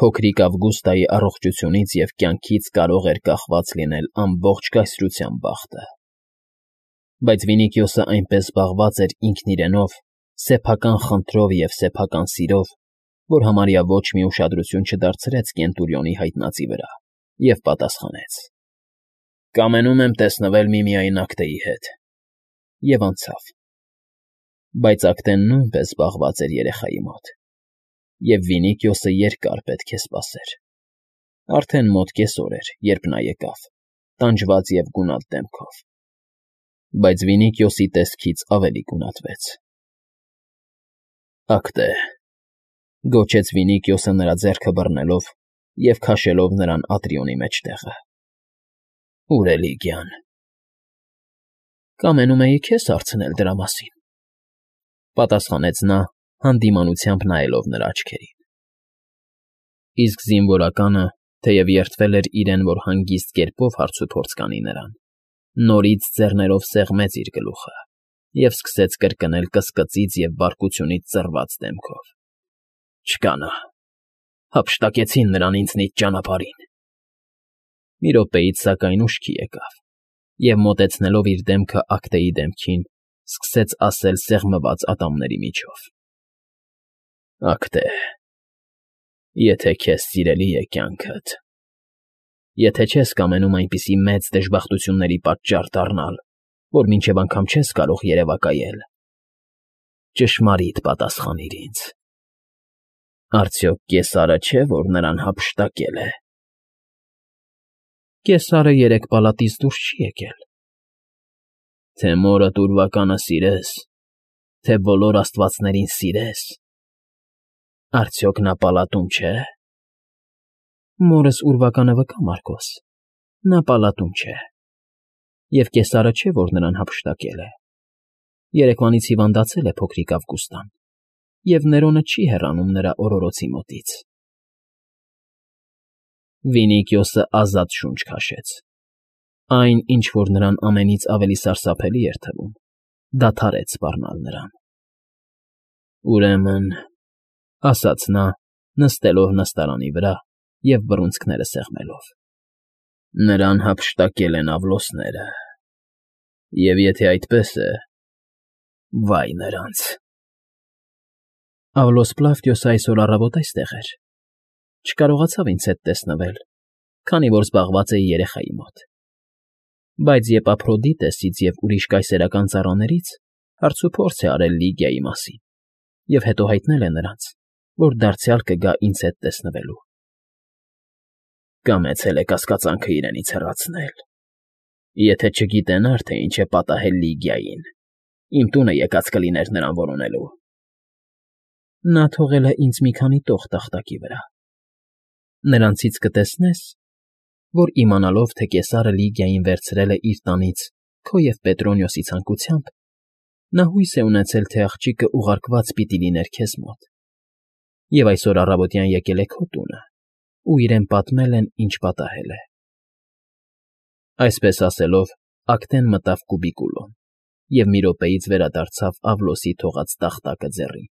Փոքրիկ Ավգուստայի առողջությունից և կյանքից կարող էր կախված լինել ամբողջ կայսրության բախտը։ Բայց Վինիքիոսը այնպես զբաղված էր ինքն իրենով, սեփական խնդրով և սեփական սիրով, որ համարյա ոչ մի ուշադրություն չդարձրեց Կենտուրիոնի հայտնածի վրա և պատասխանեց. «Կամենում եմ տեսնվել միմիայն Ակտեի հետ» և անցավ։ Բայց Ակտեն նույնպես զբաղված էր երեխայի մոտ, և Վինիքիոսը երկար պետք է սպասեր։ Արդեն մոտ կեսօր էր, երբ նա եկավ, տանջված և գունատ դեմքով։ Բայց Վինիքիոսի տեսքից ավելի գունատվեց։ «Ակտե», գոչեց Վինիքիոսը նրա ձեռքը բռնելով և քաշելով նրան Ատրիոնի մեջտեղը։ «Ո՞ւր է Լիգիան»։ «Կամենում էի քեզ հարցնել դրա մասին», պատասխանեց նա, հանդիմանությամբ նայելով նրա աչքերին։ Իսկ զինվորականը, թեև երդվել էր իրեն, որ հանգիստ կերպով հարցուփորձ կանի նրան, նորից ձեռներով սեղմեց իր գլուխը և սկսեց կրկնել կսկծից և բարկությունից ծռված դեմքով. «Չկա նա… Հափշտակեցին նրան ինձնից ճանապարհին»։ Մի րոպեից, սակայն, ուշքի եկավ և, մոտեցնելով իր դեմքը Ակտեի դեմքին, սկսեց ասել սեղմված ատամների միջով. «Ակտե, եթե քեզ սիրելի է կյանքդ, եթե չես կամենում այնպիսի մեծ դժբախտությունների պատճառ դառնալ, որ մինչև անգամ չես կարող երևակայել, ճշմարիտ պատասխանիր ինձ. արդյոք Կեսարը չէ, որ նրան հափշտակել է»։ «Կեսարը երեկ պալատից դուրս չի եկել»։ «Թե մորդ ուրվականը սիրես, թե բոլոր աստվածներին սիրես, արդյոք նա պալատում չէ»։ «Մորս ուրվականը վկա, Մարկոս, նա պալատում չէ, և Կեսարը չէ, որ նրան հափշտակել է։ Երեկվանից հիվանդացել է փոքրիկ Ավգուստան, և Ներոնը չի հեռանում նրա օրորոցի մոտից»։ Վինիքիոսը ազատ շունչ քաշեց։ Այն, ինչ որ նրան ամենից ավելի սարսափելի էր թվում, դադարեց սպառնալ նրան։ «Ուրեմն,֊ ասաց նա, նստելով նստարանի վրա և բռունցքները սեղմելով,֊ նրան հափշտակել են աղվլոսները, և եթե այդպես է, վա՜յ նրանց»։ Աղվլոս Պլավդիոսը այսօր առավոտ այստեղ էր. չկարողացավ ինձ հետ տեսնվել, քանի որ զբաղված էի երեխայի մոտ։ Բայց Եպափրոդիտեսից և ուրիշ կայսերական ծառաներից հարցուփորձ է արել Լիգիայի մասին և հետո հայտնել է նրանց, որ դարձյալ կգա ինձ հետ տեսնվելու։ Կամեցել է կասկածանքը իրենից հեռացնել։ Եթե չգիտենար, թե ինչ է պատահել Լիգիային, իմ տունը եկած կլիներ նրան որոնելու։ Նա թողել է ինձ մի քանի տող տախտակի վրա։ Նրանցից կտեսնես, որ իմանալով, թե Կեսարը Լիգիային վերցրել է իր տանից քո և Պետրոնիոսի ցանկությամբ, նա հույս է ունեցել, թե աղջիկը ուղարկված պիտի լիներ քեզ մոտ, և այսօր առավոտյան եկել է քո տունը ու իրեն պատմել են, ինչ պատահել է։ Այսպես ասելով, Ակտեն մտավ կուբիկուլոն և մի րոպեից վերադարձավ Աղվլոսի թողած տախտակը ձեռին։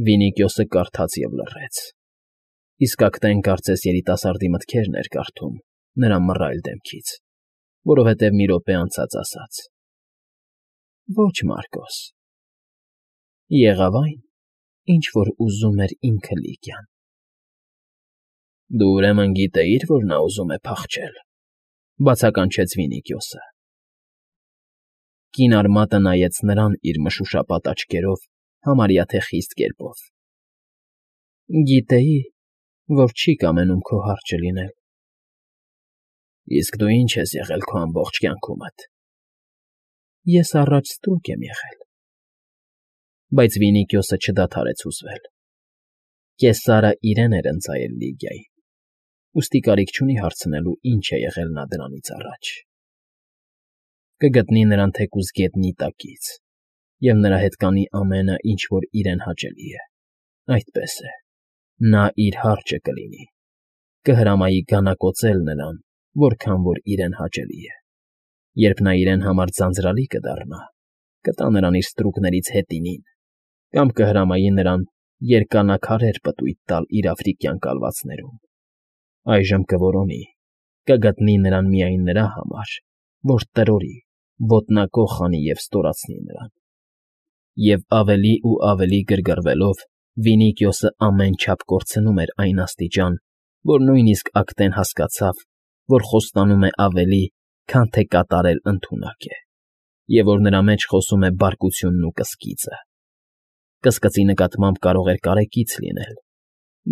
Վինիքիոսը կարդաց և լռեց, իսկ Ակտեն կարծես երիտասարդի մտքերն էր կարդում նրա մռայլ դեմքից, որովհետև մի րոպե անցած ասաց. «Ոչ, Մարկոս, եղավ այն, ինչ որ ուզում էր ինքը Լիգիան»։ Դու ուրեմն գիտեիր, որ նա ուզում է փախչել,֊ բացականչեց Վինիքիոսը։ Կին արմատը նայեց նրան իր մշուշապատ աչքերով համարյա թե խիստ կերպով։ Գիտեի, որ չի կամենում քո հարճը լինել։ Իսկ դու ինչ ես եղել քո ամբողջ կյանքումդ։ Ես առաջ ստրուկ եմ եղել։ Բայց Վինիքիոսը չդադարեց հուզվել։ Կեսարը իրեն էր ընծայել Լիգիային, ուստի կարիք չունի հարցնելու, ինչ է եղել նա դրանից առաջ։ Կգտնի նրան թեկուզ գետնի տակից, և նրա հետ կանի ամենը, ինչ որ իրեն հաճելի է։ Այդպես է, նա իր հարճը կլինի, կհրամայի գանակոծել նրան, որքան որ իրեն հաճելի է։ Երբ նա իրեն համար ձանձրալի կդառնա, կտա նրան իր ստրուկներից հետինին կամ կհրամայի նրան երկանակարեր պտույտ տալ իր աֆրիկյան կալվածներում, այժմ կորոնի, կգտնի նրան միայն նրա համար, որ տրորի, ոտնակոխ անի և ստորացնի նրան։ Եվ ավելի ու ավելի գրգռվելով, Վինիկիոսը ամեն չափ կորցնում էր այն աստիճան, որ նույնիսկ Ակտեն հասկացավ, որ խոստանում է ավելի, քան թե կատարել ընդունակ է, և որ նրա մեջ խոսում է բարկությունն ու կսկիծը։ Կսկծի նկատմամբ կարող էր կարեկից լինել,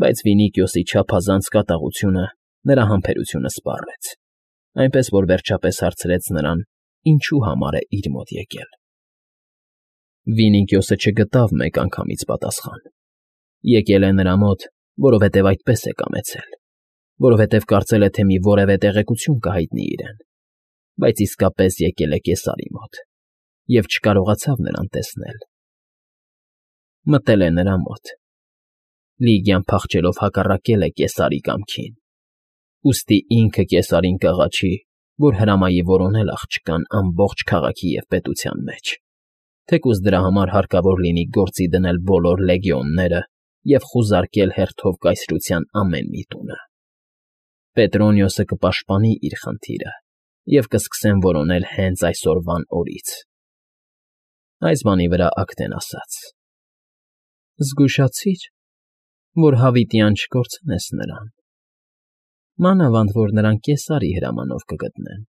բայց Վինիկիոսի չափազանց կատաղությունը նրա համբերությունը սպառեց, այնպես որ վերջապես հարցրեց նրան, ինչու համար է իր մոտ եկել։ Վինիկիոսը չգտավ մեկ անգամից պատասխան։ Եկել է նրա մոտ, որովհետև այդպես է կամեցել, որովհետև կարծել է, թե մի որևէ տեղեկություն կհայտնի իրեն, բայց իսկապես եկել է կեսարի մոտ և չկարողացավ նրան տեսնել։ Մտել է նրա մոտ։ Լիգիան փախչելով հակառակել է կեսարի կամքին, ուստի ինքը կեսարին կաղաչի, որ հրամայի որոնել աղջկան ամբողջ քաղաքի և պետության մեջ, թեկուզ դրա համար հարկավոր լինի գործի դնել բոլոր լեգիոնները և խուզարկել հերթով կայսրության ամեն մի տունը։ Պետրոնիոսը կպաշտպանի իր խնդիրը և կսկսեն որոնել հենց այսօրվան օրից։ Այս բանի վրա Ակտեն ասաց. Զգուշացիր, որ հավիտյան չկորցնես նրան, մանավանդ որ նրան կեսարի հրամանով կգտնեն։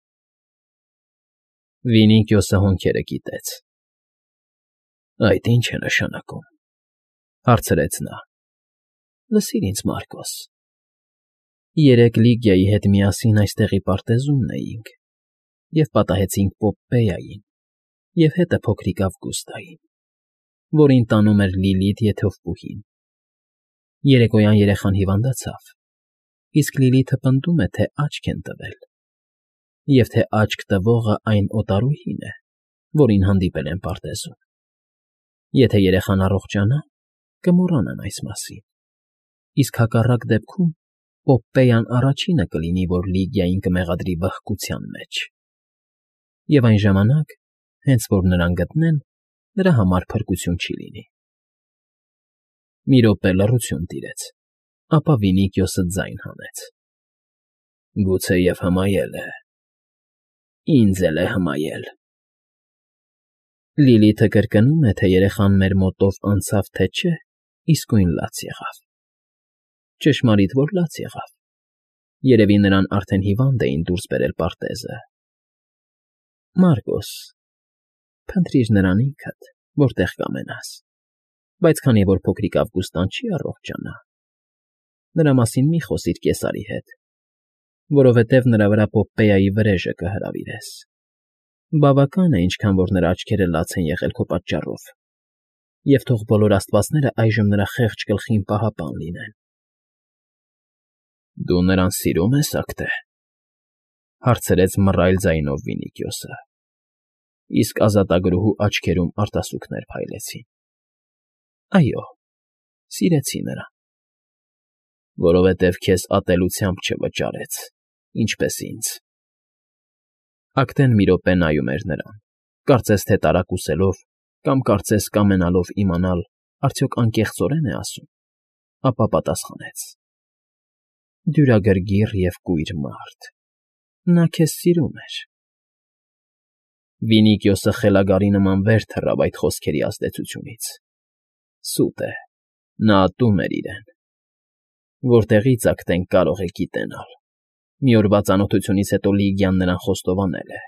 Վինիկիոսը հոնքերը կիտեց։ Այդ ի՞նչ է նշանակում, հարցրեց նա։ Լսիր ինձ, Մարկոս, երեկ Լիգիայի հետ միասին այստեղի պարտեզումն էինք և պատահեցինք Պոպպեյային և հետը փոքրիկ Ավգուստային, որին տանում էր Լիլիթ եթովպուհին։ Երեկոյան երեխան հիվանդացավ, իսկ Լիլիթը պնդում է, թե աչք են տվել, և թե աչք տվողը այն օտարուհին է, որին հանդիպել են պարտեզում։ Եթե երեխան առողջանա, կմոռանան այս մասին, իսկ հակառակ դեպքում Պոպպեյան առաջինը կլինի, որ Լիգիային կմեղադրի վհկության մեջ։ Եվ այն ժամանակ, հենց որ նրան գտնեն, նրա համար փրկություն չի լինի։ Մի րոպե լռություն տիրեց, ապա Վինիկիոսը ձայն հանեց. Գուցեև հմայել է։ Ինձ էլ է հմայել։ Լիլիթը կրկնում է, թե երեխան մեր մոտով անցավ, թե չէ, իսկույն լաց եղավ։ Ճշմարիտ, որ լաց եղավ։ Երևի նրան արդեն հիվանդ էին դուրս բերել պարտեզը։ Մարկոս, փնտրիր նրան ինքդ, որտեղ կամենաս, բայց քանի որ փոքրիկ Ավգուստան չի առողջանա, նրա մասին մի խոսիր կեսարի հետ, որովհետև նրա վրա Պոպպեայի վրեժը կհրավիրես։ Բավական է, ինչքան որ նրա աչքերը լաց են եղել քո պատճառով, և թող բոլոր աստվածները այժմ նրա խեղճ գլխին պահապան լինեն։ Դու նրան սիրում ես, Ակտե, հարցրեց մռայլ ձայնով Վինիկիոսը, իսկ ազատագրուհու աչքերում արտասուքներ փայլեցին։ Այո, սիրեցի նրան, որովհետև քեզ ատելությամբ չվճարեց, ինչպես ինձ։ Ակտեն մի րոպե նայում էր նրան, կարծես թե տարակուսելով կամ կարծես կամենալով իմանալ, արդյոք անկեղծորե՞ն է ասում, ապա պատասխանեց. Դյուրագրգիռ և կույր մարդ, նա քեզ սիրում էր։ Վինիկիոսը խելագարի նման վեր թռավ այդ խոսքերի ազդեցությունից։ Սուտ է, նա ատում էր իրեն։ Որտեղի՞ց Ակտեն կարող է գիտենալ։ Մի օրվա ծանոթությունից հետո Լիգիան նրան խոստովանել է։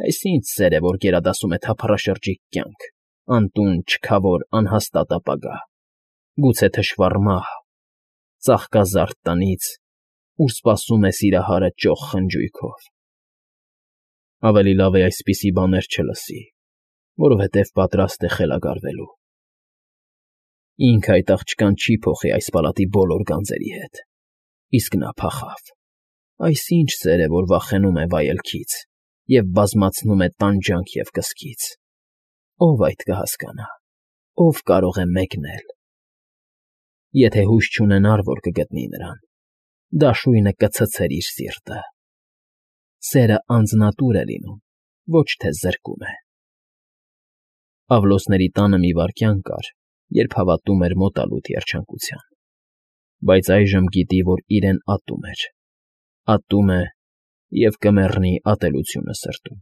Այս ինչ սեր է, որ գերադասում է թափառաշրջիկ կյանք, անտուն, չքավոր, անհաստատ ապագա, գուցե թշվառ մահ, ծաղկազարդ տնից, ուր սպասում է սիրահարը ճոխ խնջույքով։ Ավելի լավ է այսպիսի բաներ չլսի, որովհետև պատրաստ է խելագարվելու։ Ինքը այդ աղջկան չի փոխի այս պալատի բոլոր գանձերի հետ, իսկ նա փախավ։ Այս ինչ սեր է, որ վախենում է վայելքից և բազմացնում է տանջանք և կսկիծ։ Ո՞վ այդ կհասկանա, ո՞վ կարող է մեկնել։ Եթե հույս չունենար, որ կգտնի նրան, դաշույնը կցցեր իր սիրտը։ Սերը անձնատուր է լինում, ոչ թե զրկում է։ Ավլոսների տանը մի վայրկյան կար, երբ հավատում էր մոտալուտ երջանկության, բայց այժմ գիտի, որ իրեն ատում էր, ատում է և կմեռնի ատելությունը սրտում։